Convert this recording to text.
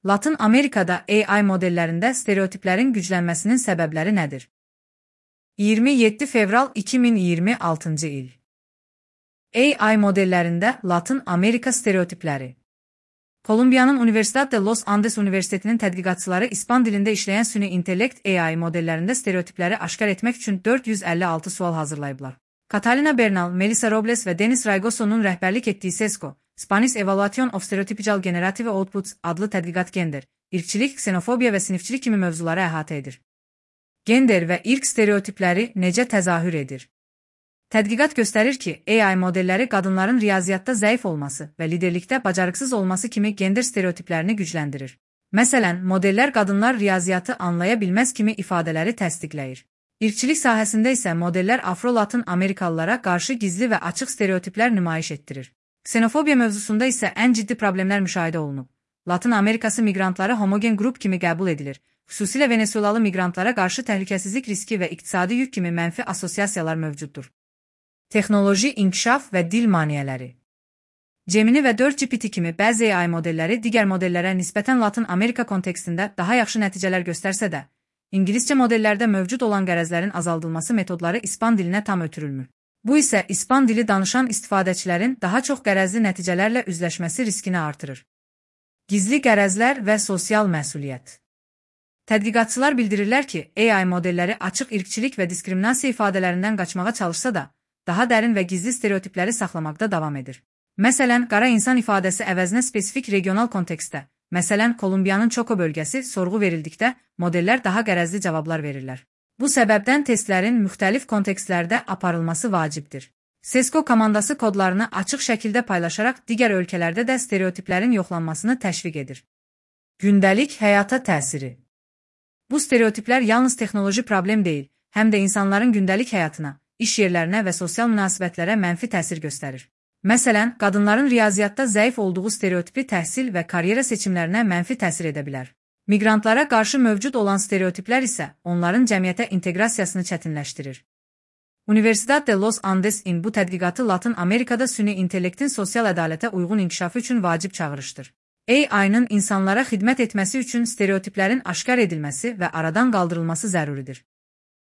Latın Amerikada AI modellərində stereotiplərin güclənməsinin səbəbləri nədir? 27 fevral 2026-cı il. AI modellərində Latın Amerika stereotipləri. Kolumbiyanın Universidad de Los Andes Universitetinin tədqiqatçıları İspan dilində işləyən süni intellekt AI modellərində stereotipləri aşkar etmək üçün 456 sual hazırlayıblar. Catalina Bernal, Melissa Robles və Denis Raygoso'nun rəhbərlik etdiyi SESCO, Spanish Evaluation of Stereotypical Generative Outputs adlı tədqiqat gender, irqçilik, ksenofobiya və sinifçilik kimi mövzuları əhatə edir. Gender və irq stereotipləri necə təzahür edir? Tədqiqat göstərir ki, AI modelləri qadınların riyaziyyatda zəif olması və liderlikdə bacarıqsız olması kimi gender stereotiplərini gücləndirir. Məsələn, modellər qadınlar riyaziyyatı anlaya bilməz kimi ifadələri təsdiqləyir. İrqçilik sahəsində isə modellər Afro-Latın Amerikalılara qarşı gizli və açıq stereotiplər nümayiş etdirir. Ksenofobiya mövzusunda isə ən ciddi problemlər müşahidə olunub. Latın Amerikası miqrantları homogen qrup kimi qəbul edilir. Xüsusilə Venesuelalı miqrantlara qarşı təhlükəsizlik riski və iqtisadi yük kimi mənfi assosiasiyalar mövcuddur. Texnoloji inkişaf və dil maneələri. Gemini və 4GPT kimi bəzi AI modelləri digər modellərə nisbətən Latın Amerika kontekstində daha yaxşı nəticələr göstərsə də, İngiliscə modellərdə mövcud olan qərəzlərin azaldılması metodları İspan dilinə tam ötürülmür. Bu isə İspan dili danışan istifadəçilərin daha çox qərəzli nəticələrlə üzləşməsi riskini artırır. Gizli qərəzlər və sosial məsuliyyət. Tədqiqatçılar bildirirlər ki, AI modelləri açıq irqçilik və diskriminasiya ifadələrindən qaçmağa çalışsa da, daha dərin və gizli stereotipləri saxlamaqda davam edir. Məsələn, qara insan ifadəsi əvəzinə spesifik regional kontekstdə, məsələn, Kolumbiyanın Çoko bölgəsi sorğu verildikdə modellər daha qərəzli cavablar verirlər. Bu səbəbdən testlərin müxtəlif kontekstlərdə aparılması vacibdir. SESCO komandası kodlarını açıq şəkildə paylaşaraq digər ölkələrdə də stereotiplərin yoxlanmasını təşviq edir. Gündəlik həyata təsiri. Bu stereotiplər yalnız texnoloji problem deyil, həm də insanların gündəlik həyatına, iş yerlərinə və sosial münasibətlərə mənfi təsir göstərir. Məsələn, qadınların riyaziyyatda zəif olduğu stereotipi təhsil və karyera seçimlərinə mənfi təsir edə bilər. Miqrantlara qarşı mövcud olan stereotiplər isə onların cəmiyyətə inteqrasiyasını çətinləşdirir. Universidad de Los Andesin bu tədqiqatı Latın Amerikada süni intellektin sosial ədalətə uyğun inkişafı üçün vacib çağırışdır. AI-nın insanlara xidmət etməsi üçün stereotiplərin aşkar edilməsi və aradan qaldırılması zəruridir.